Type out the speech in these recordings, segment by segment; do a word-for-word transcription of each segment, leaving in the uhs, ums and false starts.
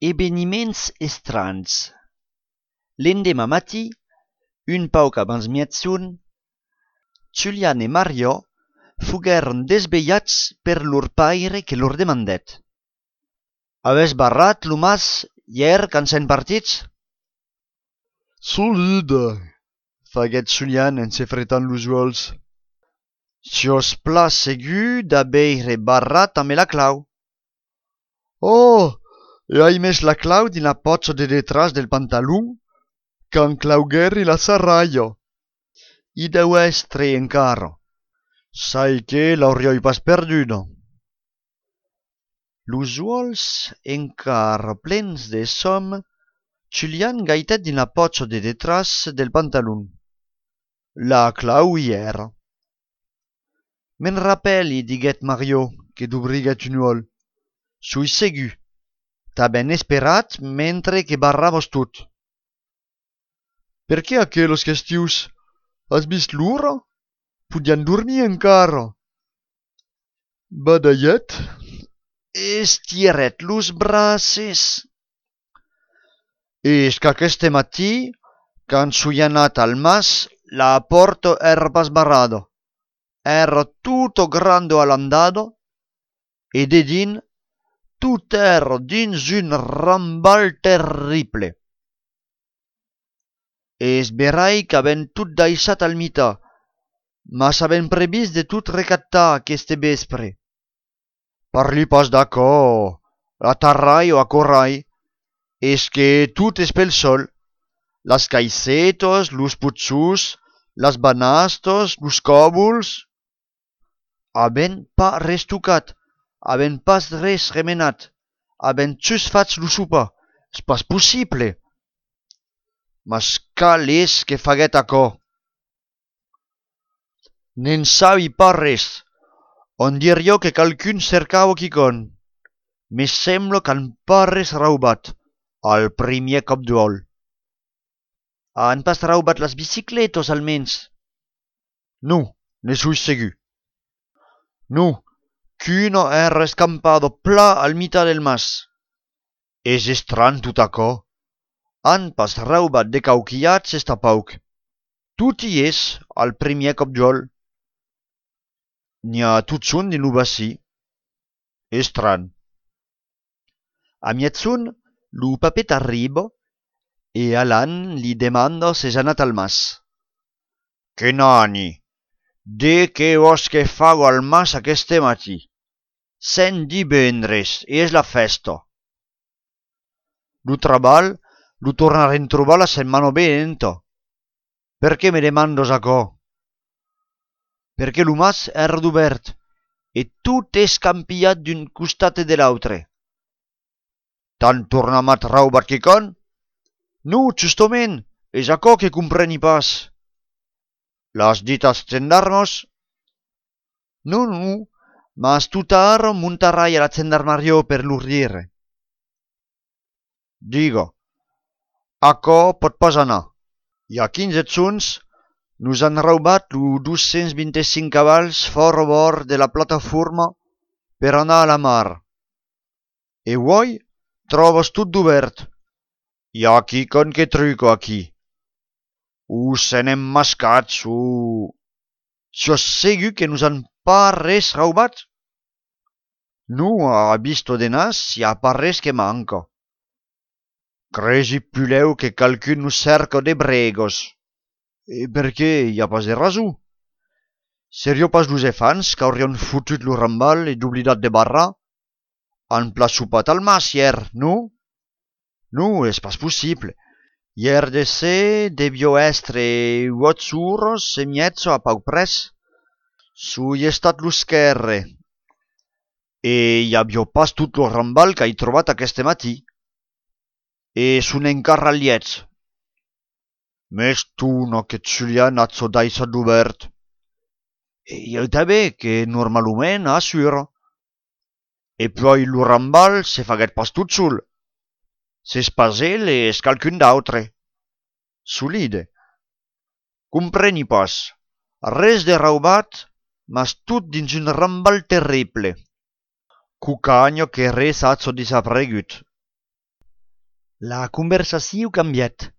Ebeniments estranhs. L'endemà matí, un pauc abans miezun, Julian e Mario fugueren desvelhats per lor paire que lor demandet. Aves barrat lo mas hier quand s'en partits? Solide, faguèt Julian en se fretant los uòls. Si os pla segur d'abeire barrat amb la clau. Oh, e hai mes la clau din la pòcha de detrás del pantalon, qu'an claugueri la sarraia. I deu estre encara. Sai che l'aurioi pas perduda. Los uòls encara plens de som, Julian gaitet din la pòcha de detrás del pantalon. La clau hi era. Me'n rappeli, diguet Mario, que d'obriguet un uòl. Sui segur. T'ha ben esperat mentre que barravos tot. Per què aquelos questius? Has vist l'ura? Podian dormir encara. Badallet? Estiret los braces. És qu'aqueste matí, quand sui anat al mas, la porta era pas barrada. Era tutto grande alandado, e de din, tut era dins un rambal terrible. Es verai qu'aven tot daissat al mità, mas aven previst de tot recattar aqueste vespre. Parli pas d'acò, la tarrai o acorrai, es que tot es pel sol, las caicetos, los putzus, las banastos, los còbols. Aven pas res tocat, aven pas res remenat, aven just fats lo sopar, és pas possible. Mas cal és que faguet aquò? N'en sabi pas res. On dirio que calcun cercava quicon. Me sembla qu'han pas res raubat, al primier cop d'uòl. Han pas raubat las bicicletos almens? Non, ne sui segur. Non, qu'uno era escampado pla al mità del mas. És estran tot aquò. Han pas raubat de cauquillats esta pauc. Tot hi és al primier cop d'uòl. N'hi ha tot son din lo bací. Estran. A mietzun, lo papet arriba, e Alan li demanda se s'ha anat al mas. Que nani? De que vos que fago al mas aqueste matí? Sen divendres, e és la festa. Lo trabal lo tornarem trobar la setmana venenta. Per què me demandos aquò? Perquè lo mas era d'obert, e tot és campillat d'un costat e de l'autre. T'han tornamat raubat quicon? Non, justament, és aquò que compreni pas. L'has dit als gendarmos? Non, non, mas tota ara montarai a la gendarmeria per lor dire. Diga, aquò pot pas anar. Hi ha quinze zons, nos han raubat lo dos-cents vint-i-cinc cabals fora bord de la plataforma per anar a la mar. E uoi, trobes tot d'obert. Hi ha quicon que truco aquí. O se n'hem mascats o... Sos segur que nos han pas res raubat? Non, a visto de nas, hi ha pas res que manca. Cresi puleu que calcun nos cerca de bregos. E per què hi ha pas de raso? Serio pas los efants qu'aurion fotut lo rambal e d'oblidat de barrar? Han pla sopat al mas hier, non? Non, és pas possible. Hier de ser devio estre uot horas e miezzo a pauc pres. Sui estat lo scherre. E hi aviò pas tot lo rambal qu'hai trobat aqueste matí. E son encara liets. Mes tuna que Julian hat so daissat d'obert. E io també que normalment assura. E poi lo rambal se faguet pas tot sol. S'es pas el e es calcun d'autre. Solide. Compreni pas. Res de raubat, mas tot dins un rambal terrible. Cucagno que res hat so desaparegut. La conversació cambiat.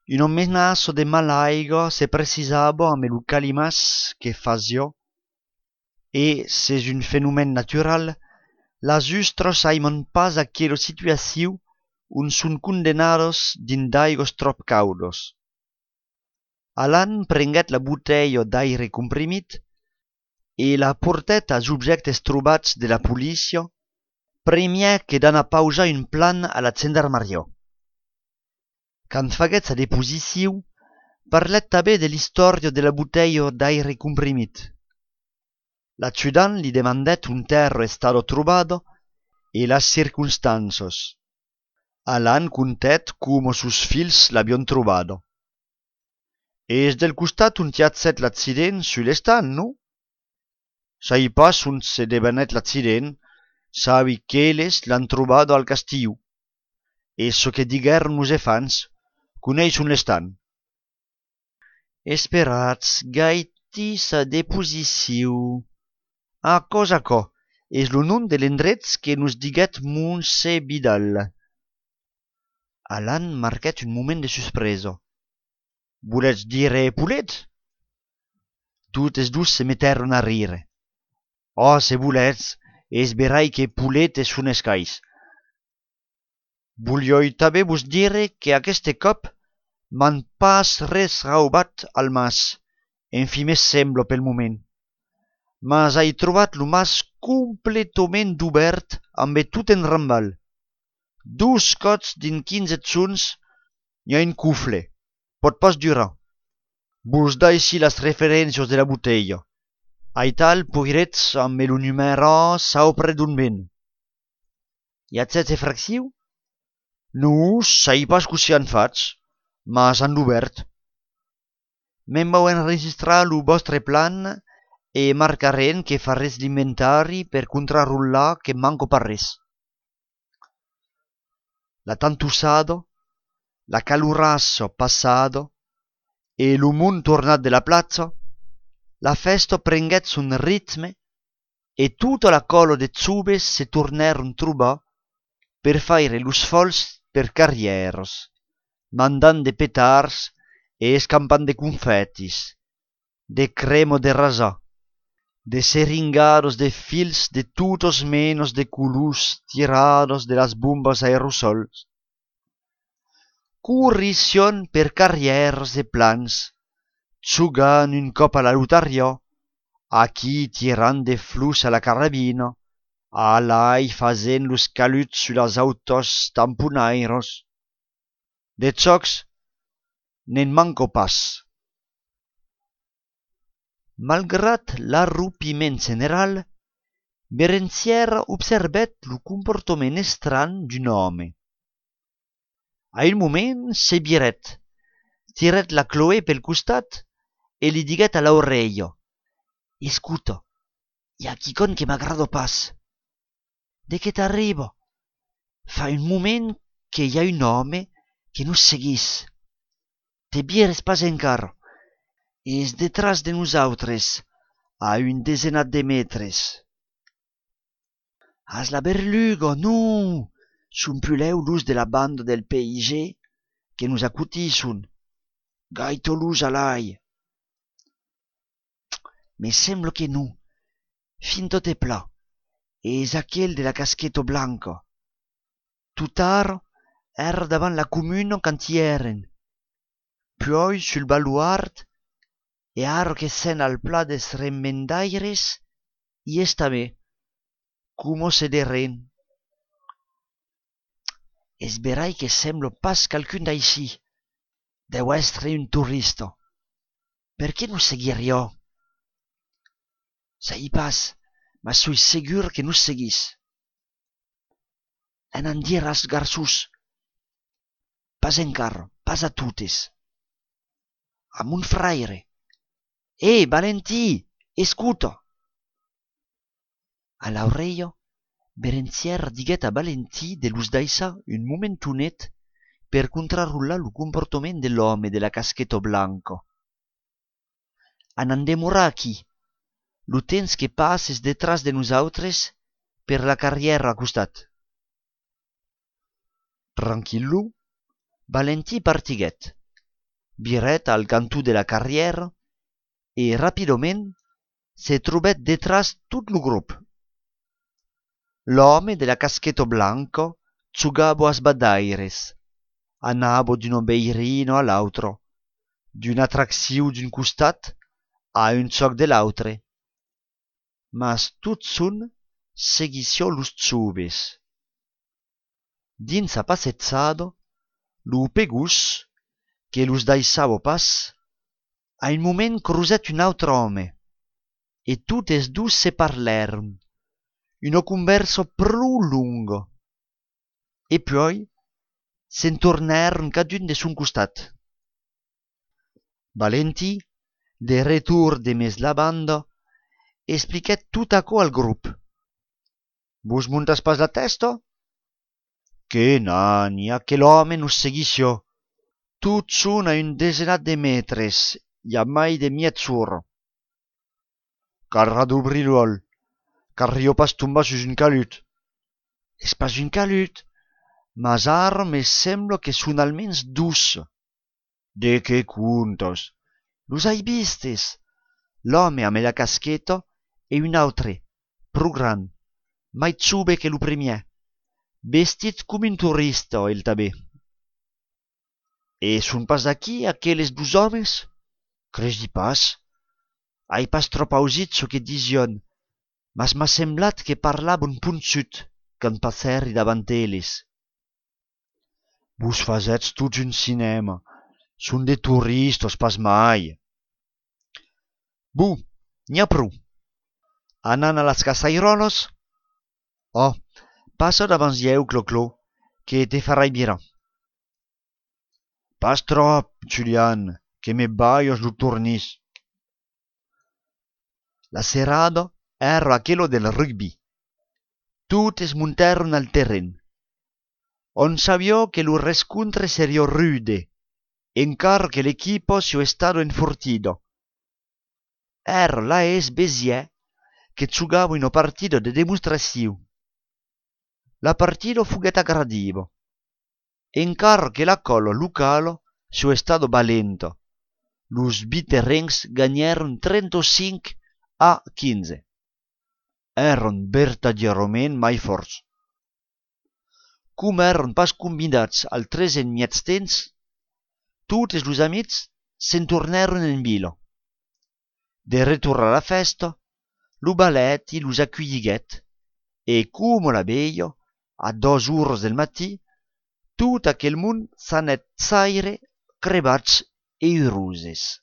Un menaço de malaiga se precisava amb el calimas que fazio, e, s'és un fenomen natural, las ustros aimon pas aquella situació on son condenados din d'aigos trop caudos. Alan prenguet la botella d'aire comprimit e la portet als objectes trobats de la polícia, primièr que d'anar pausar un plan a la gendarmeria. Quand faguèt sa deposició, parlet tanben de l'istòria de la botella d'aire comprimit. L'adjudant li demandèt un terro estado trobado e las circunstancias. Alan contèt como sus fills l'avion trobado. És del costat on hi ha set l'accident sul estant, no? Sai pas on se devenèt l'accident, sabi qu'elles l'han trobado al castiu. E so que diguèron nos efants, coneix on l'estan. Esperatz, gaiti sa deposició. A cosa co, és lo nom de l'endret que nos diguèt Montse Vidal. Alan marquèt un moment de sorpresa. Voletz dire Pulet? Totes dus se mettèron a rire. Oh, se voletz, és verai que Pulet es un escais. Voglioi tanben vos dire que aqueste cop m'han pas res raubat al mas, en fi me sembla pel moment. Mas hai trobat lo mas completament obert amb tot en rambal. Dus cots din quinze zons i un cufle. Pot pas durar. Vos da ici las referències de la botella. Ai tal poiretz amb lo numero saupre d'un ben. Hi ha set fracció? No, sai pas que s'hi han fats, mas han obert. Me'n vau enregistrar lo vostre plan e marcarem que farès l'inventari per contrarrollar que manco pas res. La tantussado, la calurasso passado e lo mont tornat de la platza, la festa prenguèt son ritme e tota la colo de zubes se tornèron trobar per faire los fols per carrieros, mandant de petards e escampant de confetis, de cremo de rasar, de seringados de fils de totos menos de colors tirados de las bombas aerosols. Corrición per carrieros de plans, jugant un cop a la lotaria, aquí tirant de flus a la carabina, alai fazent los caluts sur las autos tamponairos. De jocs, n'en manco pas. Malgrat l'arrupiment general, Berenziera observèt lo comportament estrany d'un home. A un moment se virèt, tirèt la Chloé pel costat e li diguèt a l'oreilla: «Escuta, hi ha quicon que m'agrada pas. De què t'arriba? Fa un moment que hi ha un home que nos seguís. Te vieres pas encara. És detrás de nosaltres, a un desenat de metres. Has la berluga, non! Son puleu los de la banda del P I G que nos acutisson. Gaito los alai. Me sembla que non. Fin tot è pla. És aquel de la casqueta blanca. Tutar era davant la comuna quand hi eren. Poi sul baluard e ara que sen al pla des remendaires hi és tanben, como se deren. És verai que sembla pas calcun d'així. Deu estre un turista. Per què no seguiria? Sai pas, ma soi segur que nos seguís. En an dir als garçons. Pas encara, pas a totes. A mon fraire. Eh, Valentí, escuta! A l'oreilla, Berenziera diguèt a Valentí de los daissar un momentonet per contrarrollar lo comportament de l'home de la casqueta blanca. An an demorar aquí, lo temps que passes detrás de nosaltres per la carriera a costat. tranquillu, Valentí partiguèt, viret al cantó de la carrièra e rapidament se trobèt detràs tot lo grup. L'òme de la casqueta blanca giugava a sbadaires, anava d'un obeirino a l'autro, d'una attracció d'un costat a un soc de l'autre, mas tot son seguissió los joves. Dins a passetzada, lo pegus, que los daissava pas, a un moment cruzèt un autre home, e totes dus se parlèron, una conversa prou longa, e poi se'n tornèron cadun de son costat. Valentí, de retorn de mes la banda, expliquèt tot aquò al grup. Vos montas pas la testa? Que nani, aquel home nos seguissió. Tot son a un desenat de metres, i a mai de miet sora. Carra d'obrir-l'ol, car rio pas tombar sus un calut. És pas un calut, mas ara me sembla que son almens dus. De que contas? Los hai vistes? L'home amb la casqueta e un autre, pro gran, mai jove que lo primièr, vestit com un turista, el tanben. E son pas aquí aqueles dos homes? Credi pas. Hai pas trop ausit çò que dision, mas m'ha semblat que parlavan ponçut quand passèri davant elles. Vos fasètz tots un cinema. Son de turistes, pas mai. Bu, n'hi ha prou. Anant a las casairoles? Oh, passa davant ieu, Clo-Clo, que te farai mirar. Pas trop, Julian, que me baios lo tornis. La serrada era aquello del rugby. Totes montèron al terren. On sabió que lo rescontre seria rude, encara que l'equipo sia stato enfortido. Era la es Béziers che giugava una partita de demonstrazione. La partita fuguet aggradiva, encara que la colla locale sia stato valenta. Los biterrencs ganèron trenta-cinc a quinze. Eran vertadierament mai forts. Com eran pas convidats al tresen mièts temps, totes los amics se'n tornèron en vila. De retorn a la festa, lo ballet los aculliguèt, e com la veia, a dos hores del matí, tot aquel mond s'anèt saire crebats e uroses.